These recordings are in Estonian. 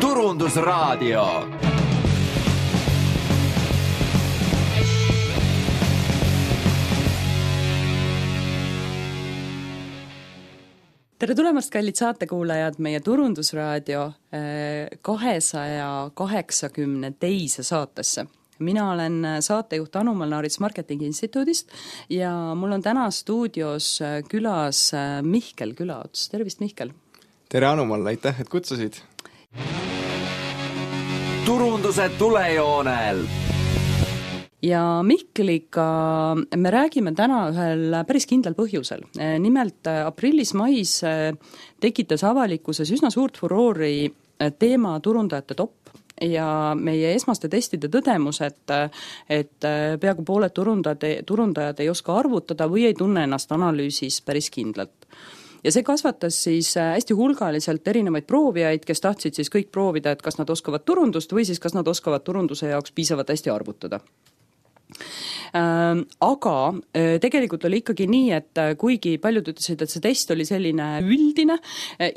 Turundusraadio. Tere tulemast, kallid saatekuulajad, meie Turundusraadio 280 teise saatesse. Mina olen saatejuht Anu Molnaarits Marketingi Instituudist ja mul on täna stuudios külas Mihkel Külaots. Tervist, Mihkel! Tere, Anu Moln, aitäh, et kutsusid! Turunduse tulejoonel! Ja Mihkliga me räägime täna ühel päris kindlal põhjusel. Nimelt aprillis-mais tekitas avalikkuses üsna suurt furoori teema turundajate top ja meie esmaste testide tõdemus, et peaaegu pooled turundajad ei oska arvutada või ei tunne ennast analüüsis päris kindlalt. Ja see kasvatas siis hästi hulgaliselt erinevaid proovijaid, kes tahtsid siis kõik proovida, et kas nad oskavad turundust või siis kas nad oskavad turunduse jaoks piisavalt hästi arvutada. Aga tegelikult oli ikkagi nii, et kuigi paljud ütlesid, et see test oli selline üldine,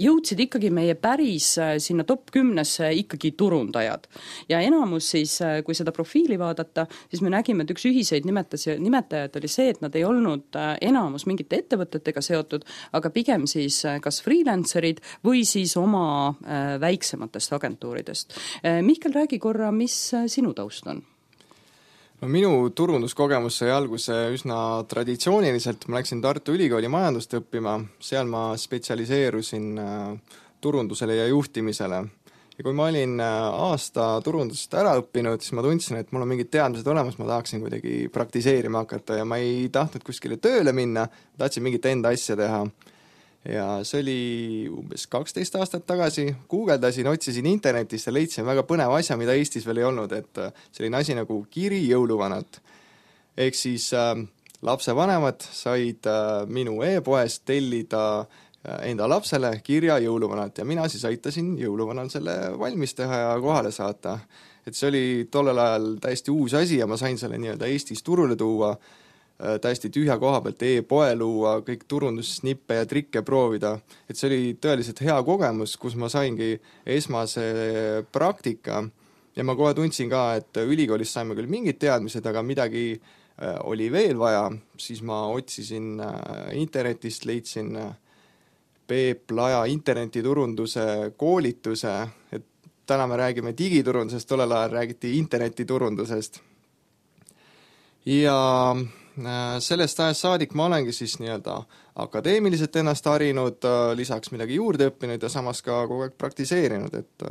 jõudsid ikkagi meie päris sinna top 10-sse ikkagi turundajad. Ja enamus siis, kui seda profiili vaadata, siis me nägime, et üks ühiseid nimetajad oli see, et nad ei olnud enamus mingite ettevõtetega seotud, aga pigem siis kas freelancerid või siis oma väiksematest agentuuridest. Mihkel, räägi korra, mis sinu taust on? No, minu turunduskogemus sai alguse üsna traditsiooniliselt. Ma läksin Tartu Ülikooli majandust õppima, seal ma spetsialiseerusin turundusele ja juhtimisele. Ja kui ma olin aasta turundust ära õppinud, siis ma tundsin, et mul on mingid teadmised olemas, ma tahaksin kuidagi praktiseerima hakata ja ma ei tahtnud kuskile tööle minna, tahtsin mingit enda asja teha. Ja see oli umbes 12 aastat tagasi, guugeldasin, otsisin internetist ja leidsin väga põneva asja, mida Eestis veel ei olnud, et selline asi nagu kiri jõuluvanalt. Ehk siis lapsevanemad said minu e-poest tellida enda lapsele kirja jõuluvanalt ja mina siis aitasin jõuluvanal selle valmis teha ja kohale saata. Et see oli tollel ajal täiesti uus asi ja ma sain selle nii-öelda Eestis turule tuua, täiesti tühja koha pealt e-poe luua, kõik turundussnippe ja trikke proovida. Et see oli tõeliselt hea kogemus, kus ma saingi esmase praktika ja ma kohe tundsin ka, et ülikoolis saime küll mingid teadmised, aga midagi oli veel vaja, siis ma otsisin internetist, leidsin Peep Laja internetiturunduse koolituse, et täna me räägime digiturundusest, tollel ajal räägiti internetiturundusest. Ja sellest ajast saadik ma olengi siis nii-öelda akadeemiliselt ennast harinud, lisaks midagi juurde õppinud ja samas ka kogu aeg praktiseerinud, et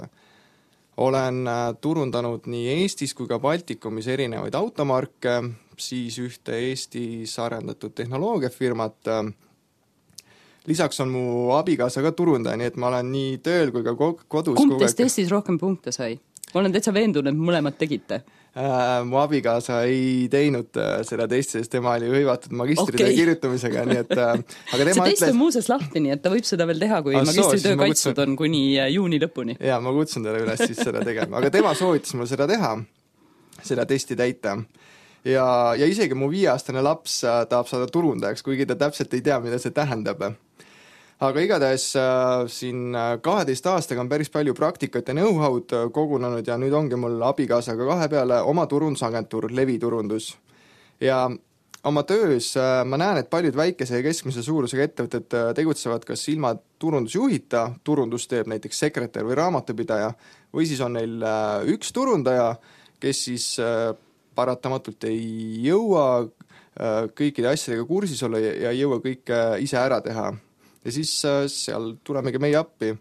olen turundanud nii Eestis kui ka Baltikumis erinevaid automarke, siis ühte Eestis arendatud tehnoloogiafirmat. Lisaks on mu abikaasa ka turundaja, nii et ma olen nii tööl kui ka kodus. Kumb teist testis rohkem punkte sai? Ma olen täitsa veendunud, et mõlemad tegite. Mu abikaasa ei teinud seda testi, sest tema oli hõivatud magistritöö kirjutamisega, nii et aga tema see test on muuses lahti, nii et ta võib seda veel teha, kui magistritöö kaitstud on kuni juuni lõpuni. Jaa, ma kutsun teile üles siis seda tegema, aga tema soovitas mul seda teha, seda testi täita. Ja isegi mu 5-aastane laps tahab saada turundajaks, kuigi ta täpselt ei tea, mida see tähendab. Aga igatahes siin 12 aastaga on päris palju praktikat ja know-how'd kogunenud ja nüüd ongi mul abikaasaga kahe peale oma turundusagentuur, Leviturundus. Ja oma töös ma näen, et paljud väikese ja keskmise suurusega ettevõtted tegutsevad kas ilma turundusjuhita, turundus teeb näiteks sekretär või raamatupidaja, või siis on neil üks turundaja, kes siis paratamatult ei jõua kõikide asjadega kursis olla ja ei jõua kõike ise ära teha. Ja siis seal tulemegi meie appi.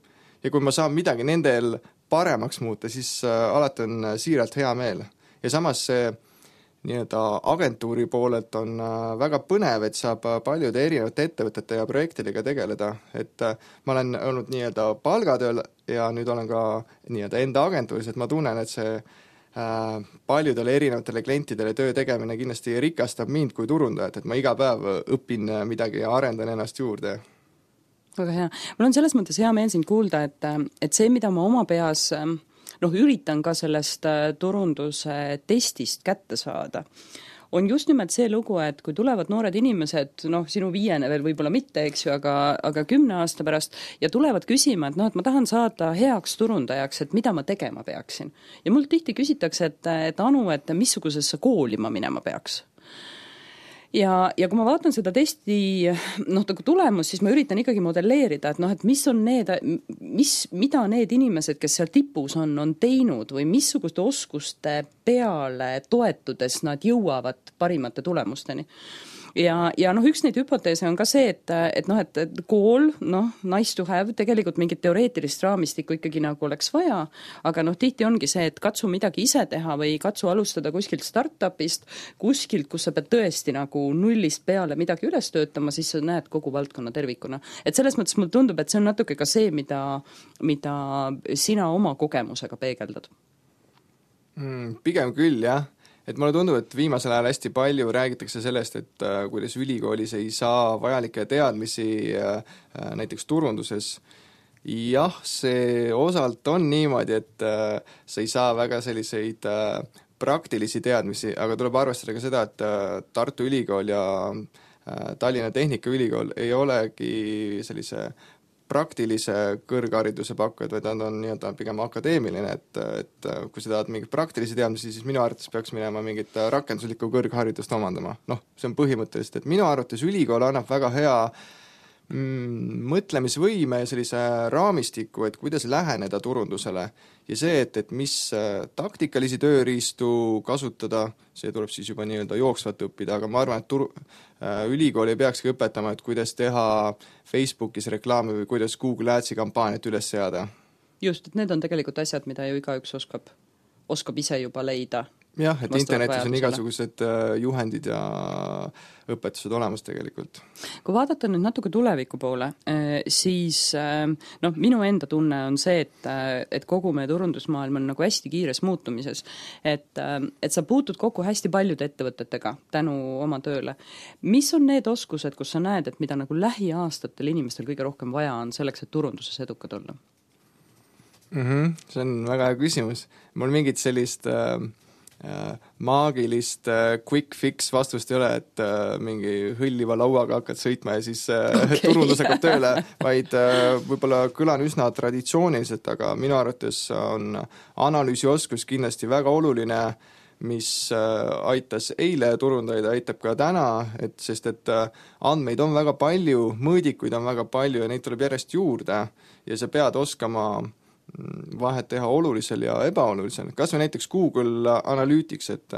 Ja kui ma saan midagi nendel paremaks muuta, siis alati on siiralt hea meel. Ja samas see nii-öelda agentuuri poolelt on väga põnev, et saab paljude erinevate ettevõtete ja projektidega tegeleda. Et ma olen olnud nii-öelda palgatööl ja nüüd olen ka nii-öelda enda agentuuris, et ma tunnen, et see paljudele erinevatele klientidele töö tegemine kindlasti rikastab mind kui turundajat, et ma iga päev õpin midagi ja arendan ennast juurde. Väga hea. Mul on selles mõttes hea meel sind kuulda, et see, mida ma oma peas üritan ka sellest turunduse testist kätte saada, on just nimelt see lugu, et kui tulevad noored inimesed, noh, sinu 5 veel võib-olla mitte, eks ju, aga 10 aasta pärast ja tulevad küsima, et noh, et ma tahan saada heaks turundajaks, et mida ma tegema peaksin. Ja mul tihti küsitakse, et Anu, et missugusesse kooli ma minema peaks. Ja kui ma vaatan seda testi tulemus, siis ma üritan ikkagi modelleerida, et noh, et mis on mida need inimesed, kes seal tipus on teinud või missuguste oskuste peale toetudes nad jõuavad parimate tulemusteni. Ja noh, üks neid hüpoteese on ka see, et kool, nice to have, tegelikult mingit teoreetilist raamistikku ikkagi nagu oleks vaja, aga noh, tihti ongi see, et katsu midagi ise teha või katsu alustada kuskilt startupist, kuskilt, kus sa pead tõesti nagu nullist peale midagi üles töötama, siis sa näed kogu valdkonna tervikuna. Et selles mõttes mulle tundub, et see on natuke ka see, mida sina oma kogemusega peegeldad. Pigem küll, jah. Et mulle tundub, et viimasel ajal hästi palju räägitakse sellest, et kuidas ülikoolis ei saa vajalikke teadmisi näiteks turunduses. Jah, see osalt on niimoodi, et sa ei saa väga selliseid praktilisi teadmisi, aga tuleb arvestada ka seda, et Tartu Ülikool ja Tallinna Tehnikaülikool ei olegi sellise praktilise kõrghariduse pakkujad, vaid nad on nii-öelda pigem akadeemiline, et kui sa tahad mingit praktilisi teadmisi, siis minu arvates peaks minema mingit rakenduslikku kõrgharidust omandama. Noh, see on põhimõtteliselt, et minu arvates ülikool annab väga hea mõtlemisvõime ja sellise raamistiku, et kuidas läheneda turundusele ja see, et mis taktikalisi tööriistu kasutada, see tuleb siis juba nii-öelda jooksvat õppida, aga ma arvan, et ülikool ei peakski õpetama, et kuidas teha Facebookis reklaami või kuidas Google Adsi kampaaniat üles seada. Just, et need on tegelikult asjad, mida ju igaüks oskab ise juba leida. Jah, et internetis on igasugused juhendid ja õpetused olemas tegelikult. Kui vaadata nüüd natuke tuleviku poole, siis minu enda tunne on see, et kogu meie turundusmaailm on nagu hästi kiires muutumises, et sa puutud kokku hästi paljude ettevõtetega tänu oma tööle. Mis on need oskused, kus sa näed, et mida nagu lähiaastatel inimestel kõige rohkem vaja on selleks, et turunduses edukad olla? See on väga hea küsimus. Mul mingit sellist maagilist quick fix vastust ei ole, et mingi hõlliva lauaga hakkad sõitma ja siis turundus hakkab tööle, vaid võib-olla kõlan üsna traditsiooniliselt, aga minu arvates on analüüsioskus kindlasti väga oluline, mis aitas eile turundajaid, aitab ka täna, sest andmeid on väga palju, mõõdikuid on väga palju ja neid tuleb järjest juurde ja sa pead oskama vahet teha olulisel ja ebaolulisel. Kas või näiteks Google Analytics, et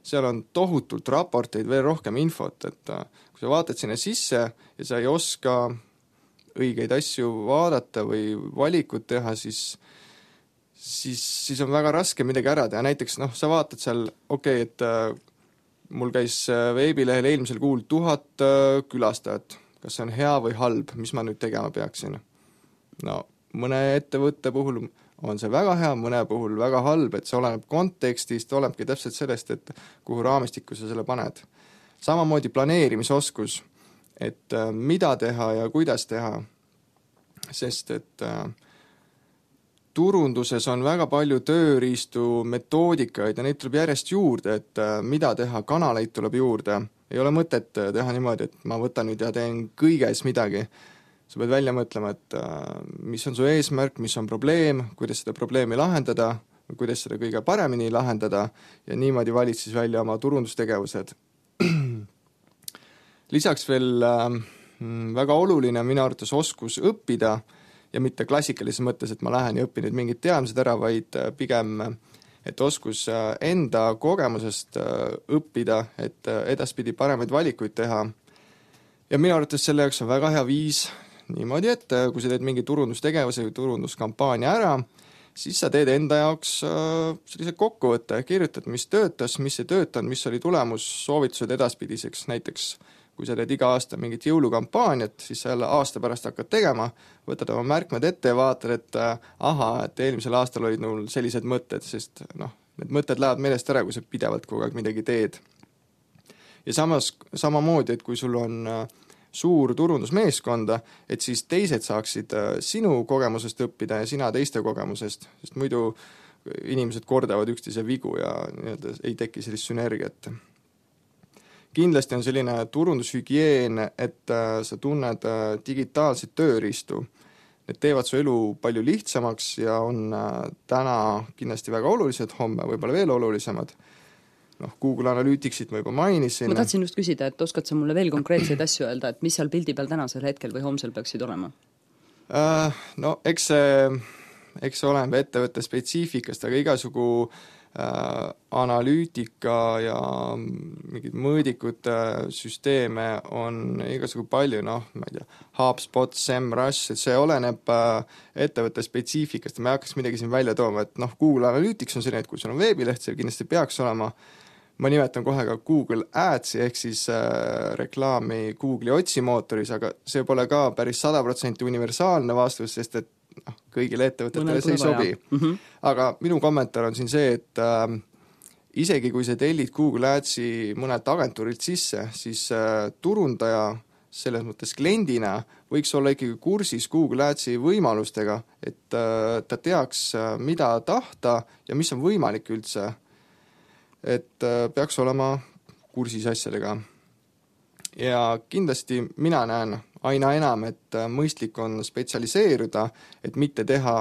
seal on tohutult raporteid, veel rohkem infot, et kui sa vaatad sinna sisse ja sa ei oska õigeid asju vaadata või valikut teha, siis on väga raske midagi ära teha. Näiteks sa vaatad seal, et mul käis veebilehel eelmisel kuul 1000 külastajat. Kas see on hea või halb, mis ma nüüd tegema peaksin? Mõne ettevõtte puhul on see väga hea, mõne puhul väga halb, et see oleneb kontekstist, olenebki täpselt sellest, et kuhu raamistikku sa selle paned. Samamoodi planeerimisoskus, et mida teha ja kuidas teha, sest et turunduses on väga palju tööriistu, metoodikaid ja neid tuleb järjest juurde, et mida teha, kanaleid tuleb juurde. Ei ole mõtet teha niimoodi, et ma võtan nüüd ja teen kõiges midagi. Sa pead välja mõtlema, et mis on su eesmärk, mis on probleem, kuidas seda probleemi lahendada, kuidas seda kõige paremini lahendada ja niimoodi valid siis välja oma turundustegevused. Lisaks veel väga oluline minu arvates oskus õppida ja mitte klassikalises mõttes, et ma lähen ja õpin nüüd mingid teadmised ära, vaid pigem, et oskus enda kogemusest õppida, et edaspidi paremaid valikuid teha. Ja minu arvates selle jaoks on väga hea viis niimoodi, et kui sa teed mingi turundustegevuse või turunduskampaania ära, siis sa teed enda jaoks sellise kokkuvõtte, kirjutad, mis töötas, mis ei töötanud, mis oli tulemus, soovitused edaspidiseks. Näiteks, kui sa teed iga aasta mingit jõulukampaaniat, siis sa jälle aasta pärast hakkad tegema, võtad oma märkmed ette ja vaatad, et eelmisel aastal olid mul sellised mõtted, sest need mõtted lähevad meelest ära, kui sa pidevalt kogu aeg midagi teed. Ja samamoodi, et kui sul on suur turundusmeeskonda, et siis teised saaksid sinu kogemusest õppida ja sina teiste kogemusest, sest muidu inimesed kordavad üksteise vigu ja ei teki sellist sünergiat. kindlasti on selline turundushügieen, et sa tunned digitaalseid tööriistu. Need teevad su elu palju lihtsamaks ja on täna kindlasti väga olulised, homme võib-olla veel olulisemad. Google Analyticsit ma juba mainisin. Ma tahtsin just küsida, et oskad sa mulle veel konkreetseid asju öelda, et mis seal pildi peal tänasel hetkel või homsel peaksid olema? Eks see oleneb ettevõtte spetsiifikast, aga igasugu analüütika ja mingid mõõdikute süsteeme on igasugu palju, ma ei tea, HubSpot, SEMrush, et see oleneb ettevõtte spetsiifikast ja ma ei hakkaks midagi siin välja tooma, et Google Analytics on selline, et kui sul on veebileht, see kindlasti peaks olema, ma nimetan kohe ka Google Adsi ehk siis reklaami Google'i otsimootoris, aga see pole ka päris 100% universaalne vastus, sest et kõigile ettevõtetele see ei sobi. Aga minu kommentaar on siin see, et isegi kui sa tellid Google Adsi mõnelt agentuurilt sisse, siis turundaja selles mõttes kliendina võiks olla ikkagi kursis Google Adsi võimalustega, et ta teaks, mida tahta ja mis on võimalik üldse. Et peaks olema kursis asjadega. Ja kindlasti mina näen aina enam, et mõistlik on spetsialiseeruda, et mitte teha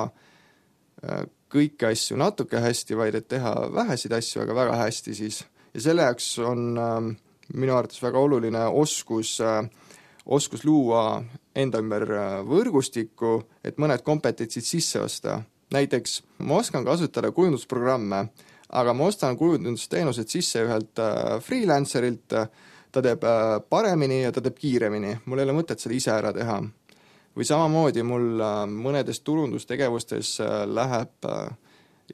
kõiki asju natuke hästi, vaid et teha vähesid asju, aga väga hästi siis. Ja selle jaoks on minu arvates väga oluline oskus luua enda ümber võrgustikku, et mõned kompetentsid sisse osta. Näiteks ma oskan kasutada kujundusprogramme, aga ma ostan kujundusteenused sisse ühelt freelancerilt, ta teeb paremini ja ta teeb kiiremini, mul ei ole mõtet seda ise ära teha. Või samamoodi mul mõnedes turundustegevustes läheb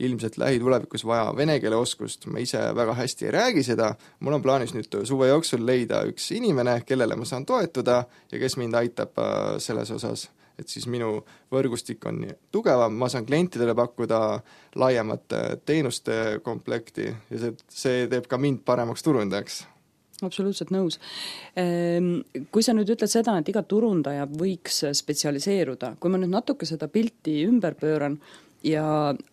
ilmselt lähitulevikus vaja vene keele oskust, ma ise väga hästi ei räägi seda, mul on plaanis nüüd suve jooksul leida üks inimene, kellele ma saan toetuda ja kes mind aitab selles osas, et siis minu võrgustik on tugevam, ma saan klientidele pakkuda laiemat teenuste komplekti ja see teeb ka mind paremaks turundajaks. Absoluutselt nõus. Kui sa nüüd ütled seda, et iga turundaja võiks spetsialiseeruda, kui ma nüüd natuke seda pilti ümber pööran ja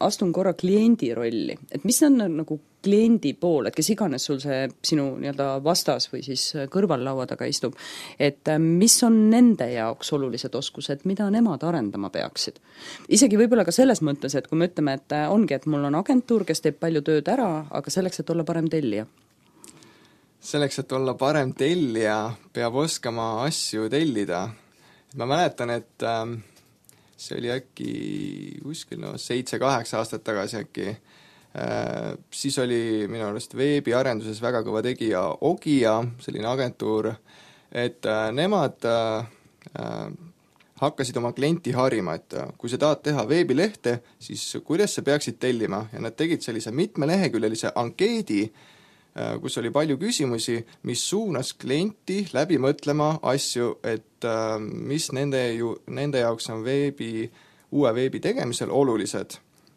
astun korra kliendi rolli, et mis on nagu kliendi pool, et kes iganes sul see sinu nii-öelda vastas või siis kõrvallaua taga istub, et mis on nende jaoks olulised oskused, mida nemad arendama peaksid? Isegi võib-olla ka selles mõttes, et kui me ütleme, et ongi, et mul on agentuur, kes teeb palju tööd ära, aga selleks, et olla parem tellija. Selleks, et olla parem tellija, peab oskama asju tellida. Ma mäletan, et see oli äkki kuskil 7-8 aastat tagasi äkki. Siis oli minu arust veebiarenduses väga kõva tegija Ogia, selline agentuur, et nemad hakkasid oma klienti harima, et kui sa tahad teha veebilehte, siis kuidas sa peaksid tellima ja nad tegid sellise mitmeleheküljelise ankeedi, kus oli palju küsimusi, mis suunas klienti läbi mõtlema asju, et mis nende jaoks on uue veebi tegemisel olulised.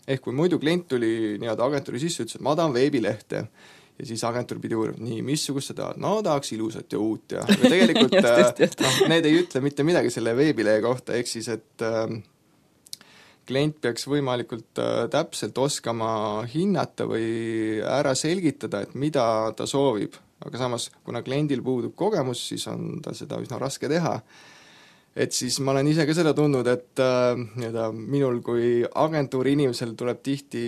Ehk kui muidu klient tuli nii-öelda agentuuri sisse, ütles, et ma tahan veebilehte ja siis agentuur pidi uurima, nii, missugust sa tahad? No tahaks ilusat ja uut ja tegelikult need ei ütle mitte midagi selle veebilehe kohta, ehk siis, et klient peaks võimalikult täpselt oskama hinnata või ära selgitada, et mida ta soovib. Aga samas, kuna kliendil puudub kogemus, siis on ta seda üsna raske teha. Et siis ma olen ise ka seda tundnud, et minul kui agentuuri inimesel tuleb tihti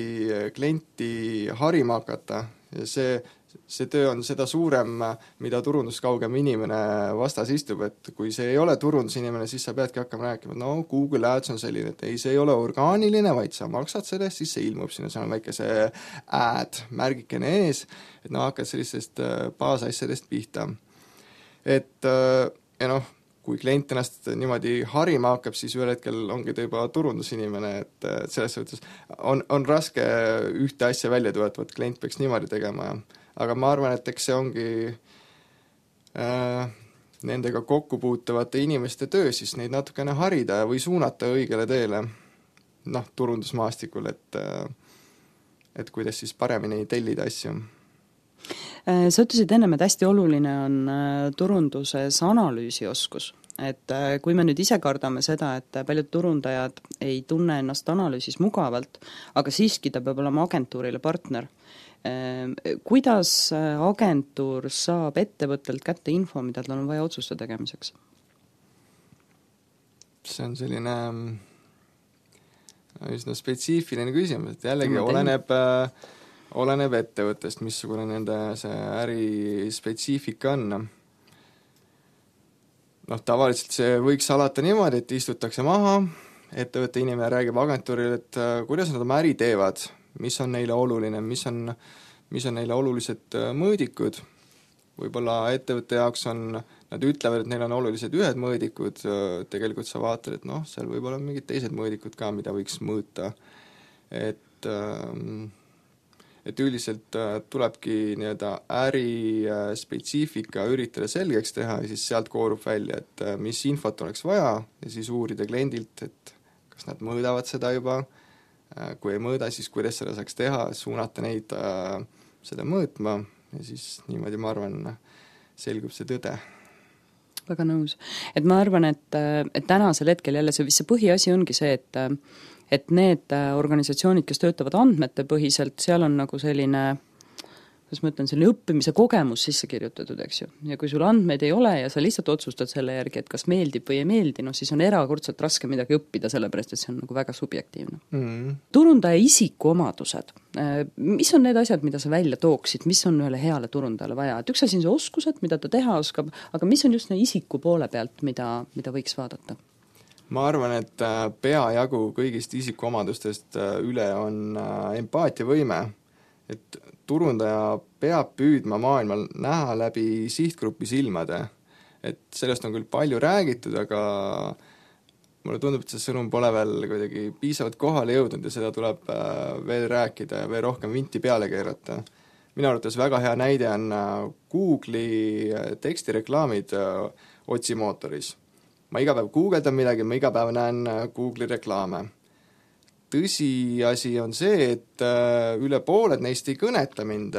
klienti harima hakata ja see töö on seda suurem, mida turunduskaugem inimene vastas istub, et kui see ei ole turundusinimene, siis sa peadki hakkama rääkima, no Google Ads on selline, et ei, see ei ole orgaaniline, vaid sa maksad sellest, siis see ilmub sinna, see on väike see ad, märgikene ees, et hakkad sellistest baasasjadest pihta. Et ja kui klient ennast niimoodi harima hakkab, siis ühel hetkel ongi ta juba turundusinimene, et selles suhtes on raske ühte asja välja tuua, et klient peaks niimoodi tegema. Aga ma arvan, et eks see ongi nendega kokkupuutavate inimeste töö, siis neid natukene harida või suunata õigele teele turundusmaastikul, et kuidas siis paremini tellida asju. Sa ütlesid ennem, et hästi oluline on turunduses analüüsioskus. Et kui me nüüd ise kardame seda, et paljud turundajad ei tunne ennast analüüsis mugavalt, aga siiski ta peab olema agentuurile partner, kuidas agentuur saab ettevõttelt kätte info, mida tal on vaja otsuste tegemiseks? See on selline üsna spetsiifiline küsimus, et jällegi oleneb ettevõttest, missugune nende see äri spetsiifika on. Tavaliselt see võiks alata niimoodi, et istutakse maha, ettevõtte inimene räägib agentuurile, et kuidas nad oma äri teevad, mis on neile oluline, mis on neile olulised mõõdikud. Võib-olla ettevõtte jaoks nad ütlevad, et neil on olulised ühed mõõdikud, tegelikult sa vaatad, et seal võib-olla mingid teised mõõdikud ka, mida võiks mõõta. Et üldiselt tulebki äri spetsiifika üritada selgeks teha ja siis sealt koorub välja, et mis infot oleks vaja ja siis uurida kliendilt, et kas nad mõõdavad seda juba, kui ei mõõda, siis kuidas seda saaks teha, suunata neid seda mõõtma ja siis niimoodi, ma arvan, selgub see tõde. Väga nõus. Et ma arvan, et tänasel hetkel jälle see põhiasi ongi see, et need organisatsioonid, kes töötavad andmete põhiselt, seal on nagu selline, kuidas ma ütlen, selline õppimise kogemus sisse kirjutatud, eks ju. Ja kui sul andmeid ei ole ja sa lihtsalt otsustad selle järgi, et kas meeldib või ei meeldi, siis on erakordselt raske midagi õppida, sellepärast et see on nagu väga subjektiivne. Turundaja isikuomadused. Mis on need asjad, mida sa välja tooksid, mis on ühele heale turundajale vaja? Et üks asi on see oskused, mida ta teha oskab, aga mis on just isiku poole pealt, mida võiks vaadata? Ma arvan, et peajagu kõigist isikuomadustest üle on empaatiavõime, et turundaja peab püüdma maailmal näha läbi sihtgrupi silmade. Et sellest on küll palju räägitud, aga mulle tundub, et see sõnum pole veel kuidagi piisavalt kohale jõudnud ja seda tuleb veel rääkida ja veel rohkem vinti peale keerata. Minu arvates väga hea näide on Google'i tekstireklaamid otsimootoris. Ma iga päev guugeldan midagi, ma iga päev näen Google'i reklaame. Tõsiasi on see, et üle pooled neist ei kõneta mind.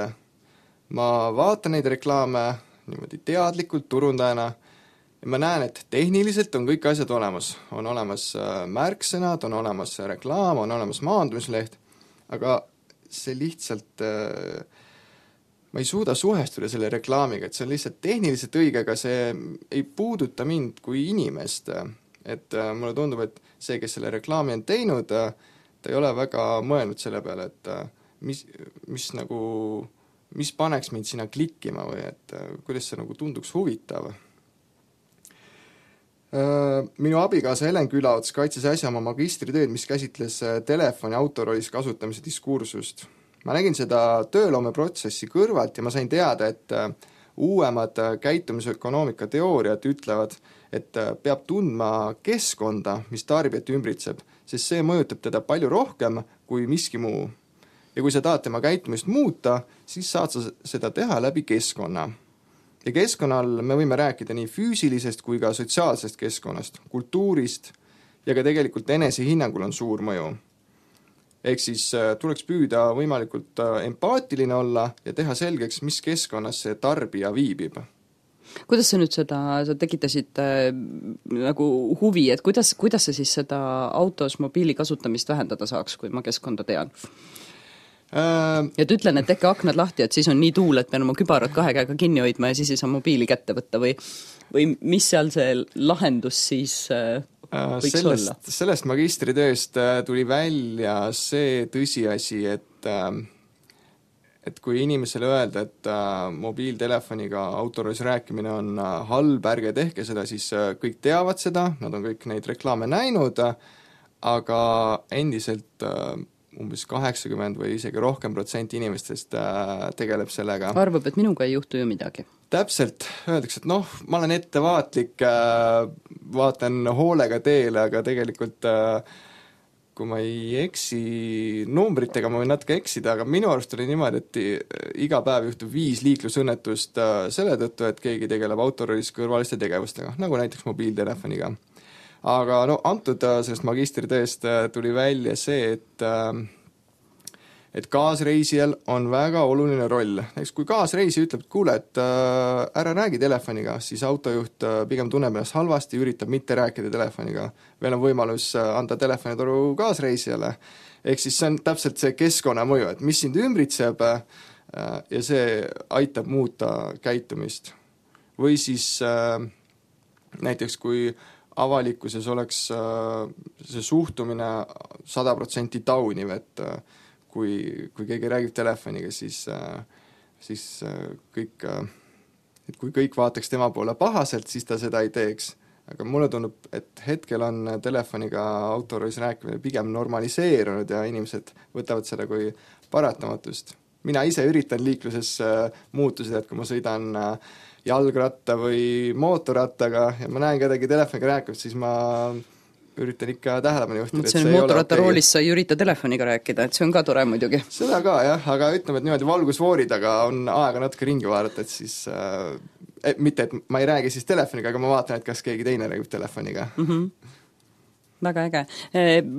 Ma vaatan neid reklaame niimoodi teadlikult turundajana ja ma näen, et tehniliselt on kõik asjad olemas. On olemas märksõnad, on olemas reklaam, on olemas maandumisleht, aga see lihtsalt ma ei suuda suhestuda selle reklaamiga, et see on lihtsalt tehniliselt õige, aga see ei puuduta mind kui inimest. Et mulle tundub, et see, kes selle reklaami on teinud, ta ei ole väga mõelnud selle peale, et mis paneks mind sinna klikkima või et kuidas see nagu tunduks huvitav. Minu abikaasa Helen Külaots kaitses äsja oma magistritööd, mis käsitles telefoni autorollis kasutamise diskursust. Ma nägin seda tööloomeprotsessi kõrvalt ja ma sain teada, et uuemad käitumisökonoomika teooriad ütlevad, et peab tundma keskkonda, mis tarbijat ümbritseb, sest see mõjutab teda palju rohkem kui miski muu. Ja kui sa tahad tema käitumist muuta, siis saad sa seda teha läbi keskkonna. Ja keskkonnal me võime rääkida nii füüsilisest kui ka sotsiaalsest keskkonnast, kultuurist ja ka tegelikult enesehinnangul on suur mõju. Ehk siis tuleks püüda võimalikult empaatiline olla ja teha selgeks, mis keskkonnas see tarbija viibib. Kuidas sa nüüd sa tekitasid nagu huvi, et kuidas sa siis seda autos mobiili kasutamist vähendada saaks, kui ma keskkonda tean? Ja ütlen, et tehke aknad lahti, et siis on nii tuul, et pean oma kübarad 2 käega kinni hoidma ja siis ei saa mobiili kätte võtta või mis seal see lahendus siis võiks olla? Sellest magistritööst tuli välja see tõsiasi, et kui inimesele öelda, et mobiiltelefoniga autorollis rääkimine on halb, ärge tehke seda, siis kõik teavad seda, nad on kõik neid reklaame näinud, aga endiselt umbes 80 või isegi rohkem protsenti inimestest tegeleb sellega. Arvab, et minuga ei juhtu ju midagi. Täpselt, öeldakse, et ma olen ettevaatlik, vaatan hoolega teele, aga tegelikult kui ma ei eksi numbritega, ma võin natuke eksida, aga minu arust oli niimoodi, et iga päev juhtub 5 liiklusõnnetust selle tõttu, et keegi tegeleb autorollis kõrvaliste tegevustega, nagu näiteks mobiiltelefoniga. Aga antud sellest magistritööst tuli välja see, et kaasreisijal on väga oluline roll. Näiteks kui kaasreisija ütleb, et kuule, et ära räägi telefoniga, siis autojuht pigem tunneb ennast halvasti, üritab mitte rääkida telefoniga. Veel on võimalus anda telefonitoru kaasreisijale. Ehk siis see on täpselt see keskkonna mõju, et mis sind ümbritseb, ja see aitab muuta käitumist. Või siis näiteks kui avalikkuses oleks see suhtumine 100% tauniv, et kui keegi räägib telefoniga, siis kõik, et kui kõik vaataks tema poole pahaselt, siis ta seda ei teeks. Aga mulle tundub, et hetkel on telefoniga autoroolis rääkimine pigem normaliseerunud ja inimesed võtavad seda kui paratamatust. Mina ise üritan liikluses muutusid, et kui ma sõidan jalgratta või mootorrattaga ja ma näen kedagi telefoniga rääkimist, siis ma üritan ikka tähelepanu juhtida, et see ei ole mootorrattaroolis sa ei ürita telefoniga rääkida, et see on ka tore muidugi. Seda ka jah, aga ütleme, et niimoodi valgusfoori taga on aega natuke ringi vaadata, et siis mitte, et ma ei räägi siis telefoniga, aga ma vaatan, et kas keegi teine räägib telefoniga. Väga äge.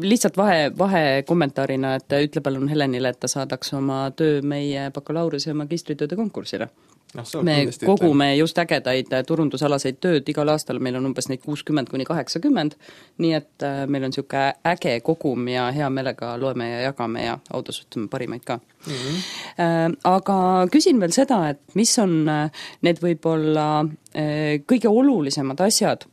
Lihtsalt vahe kommentaarina, et ütle palun Helenile, et ta saadaks oma töö meie bakalaureuse ja magistritööde konkursile. Me kogume just ägedaid turundusalaseid tööd, igal aastal meil on umbes neid 60–80, nii et meil on niisugune äge kogum ja hea meelega loeme ja jagame ja autasutame parimaid ka. Aga küsin veel seda, et mis on need võib-olla kõige olulisemad asjad,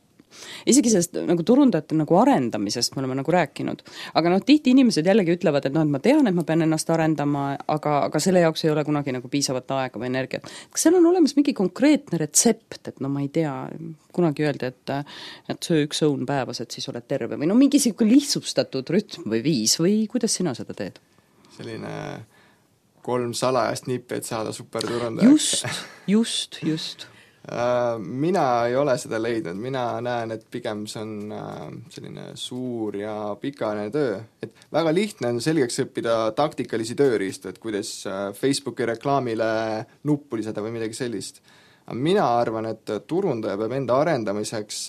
isegi sellest nagu turundajate nagu arendamisest me oleme nagu rääkinud, aga tihti inimesed jällegi ütlevad, et et ma tean, et ma pean ennast arendama, aga selle jaoks ei ole kunagi nagu piisavat aega või energiat. Kas seal on olemas mingi konkreetne retsept, et ma ei tea, kunagi öeldi, et söö 1 õun päevas, et siis oled terve või mingi lihtsustatud rütm või viis või kuidas sina seda teed? Selline 3 salajast nippi, et saada superturundajaks. Just. Mina ei ole seda leidnud, mina näen, et pigem see on selline suur ja pikaajaline töö, et väga lihtne on selgeks õppida taktikalisi tööriistu, et kuidas Facebooki reklaamile nuppu lisada või midagi sellist. Aga mina arvan, et turundaja peab enda arendamiseks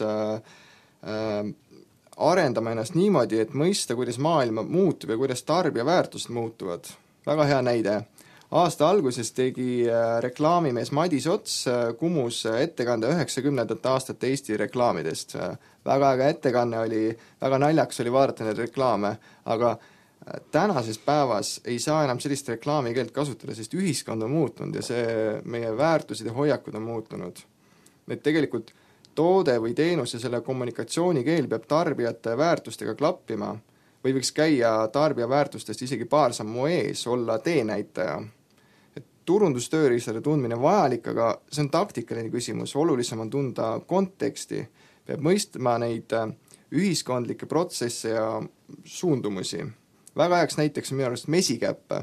arendama ennast niimoodi, et mõista, kuidas maailma muutub ja kuidas tarbija väärtused muutuvad. Väga hea näide. Aasta alguses tegi reklaamimees Madis Ots Kumus ettekande 90. aastate Eesti reklaamidest. Väga äge ettekanne oli, väga naljaks oli vaadata neid reklaame, aga tänases päevas ei saa enam sellist reklaamikeelt kasutada, sest ühiskond on muutunud ja see meie väärtused ja hoiakud on muutunud. Et tegelikult toode või teenus ja selle kommunikatsioonikeel peab tarbijate väärtustega klappima või võiks käia tarbija väärtustest isegi paar sammu ees, olla teenäitaja. Et turundustööriistade tundmine vajalik, aga see on taktikaline küsimus, olulisem on tunda konteksti, peab mõistma neid ühiskondlikke protsesse ja suundumusi. Väga heaks näiteks on minu arust mesikäpp.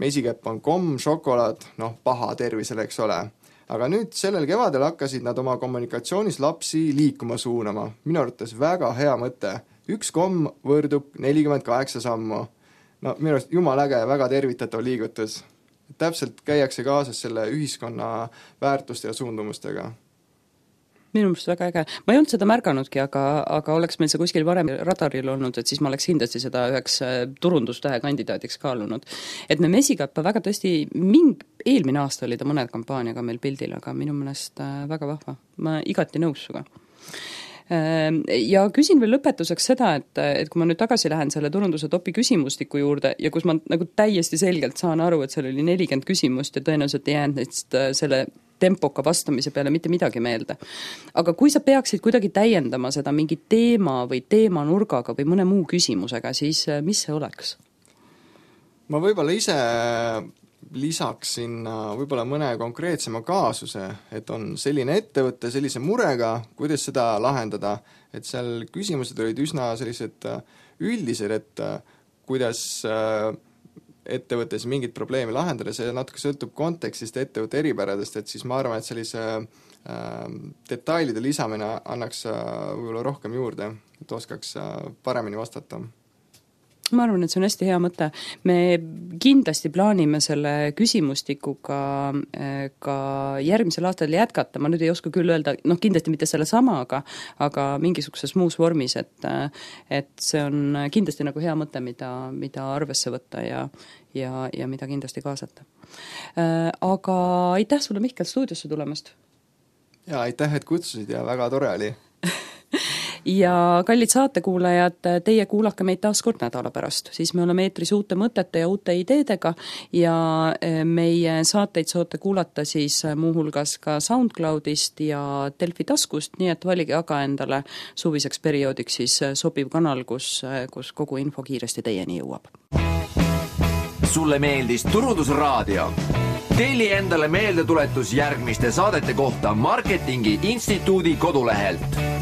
Mesikäpp on komm, šokolaad, paha tervisele, eks ole. Aga nüüd sellel kevadel hakkasid nad oma kommunikatsioonis lapsi liikuma suunama. Minu arvates väga hea mõte. 1 komm võrdub 48 sammu. Minu arust jumal äge ja väga tervitatav liigutus. Täpselt käiakse kaasas selle ühiskonna väärtuste ja suundumustega. Minu mõttes väga äge. Ma ei olnud seda märganudki, aga oleks meil see kuskil varem radaril olnud, et siis ma oleks kindlasti seda üheks turundustähe kandidaadiks kaalunud. Et me mesikäppa väga tõesti, eelmine aasta oli ta mõned kampaaniaga meil pildil, aga minu mõnest väga vahva. Ma igati nõus suga. Ja küsin veel lõpetuseks seda, et kui ma nüüd tagasi lähen selle turunduse topi küsimustiku juurde ja kus ma nagu täiesti selgelt saan aru, et seal oli 40 küsimust ja tõenäoliselt ei jäänud neist selle tempoka vastamise peale mitte midagi meelde. Aga kui sa peaksid kuidagi täiendama seda mingi teema või teemanurgaga või mõne muu küsimusega, siis mis see oleks? Ma võib-olla ise lisaksin võib-olla mõne konkreetsema kaasuse, et on selline ettevõte sellise murega, kuidas seda lahendada, et seal küsimused olid üsna sellised üldised, et kuidas ettevõttes mingit probleemi lahendada, see natuke sõltub kontekstist ettevõtte eripäradest, et siis ma arvan, et sellise detailide lisamine annaks võib-olla rohkem juurde, et oskaks paremini vastata. Ma arvan, et see on hästi hea mõte. Me kindlasti plaanime selle küsimustikuga ka järgmisel aastal jätkata. Ma nüüd ei oska küll öelda, kindlasti mitte selle sama, aga mingisuguses muus vormis, et see on kindlasti nagu hea mõte, mida arvesse võtta ja mida kindlasti kaasata. Aga aitäh sulle, Mihkel, stuudiosse tulemast! Ja aitäh, et kutsusid ja väga tore oli! ja kallid saatekuulajad, teie kuulake meid taas kord nädala pärast, siis me oleme eetris uute mõtete ja uute ideedega ja meie saateid saate kuulata siis muuhulgas ka SoundCloudist ja Delfi taskust, nii et valige aga endale suviseks perioodiks siis sobiv kanal, kus kogu info kiiresti teieni jõuab. Sulle meeldis Turundusraadio? Telli endale meeldetuletus järgmiste saadete kohta Marketingi Instituudi kodulehelt.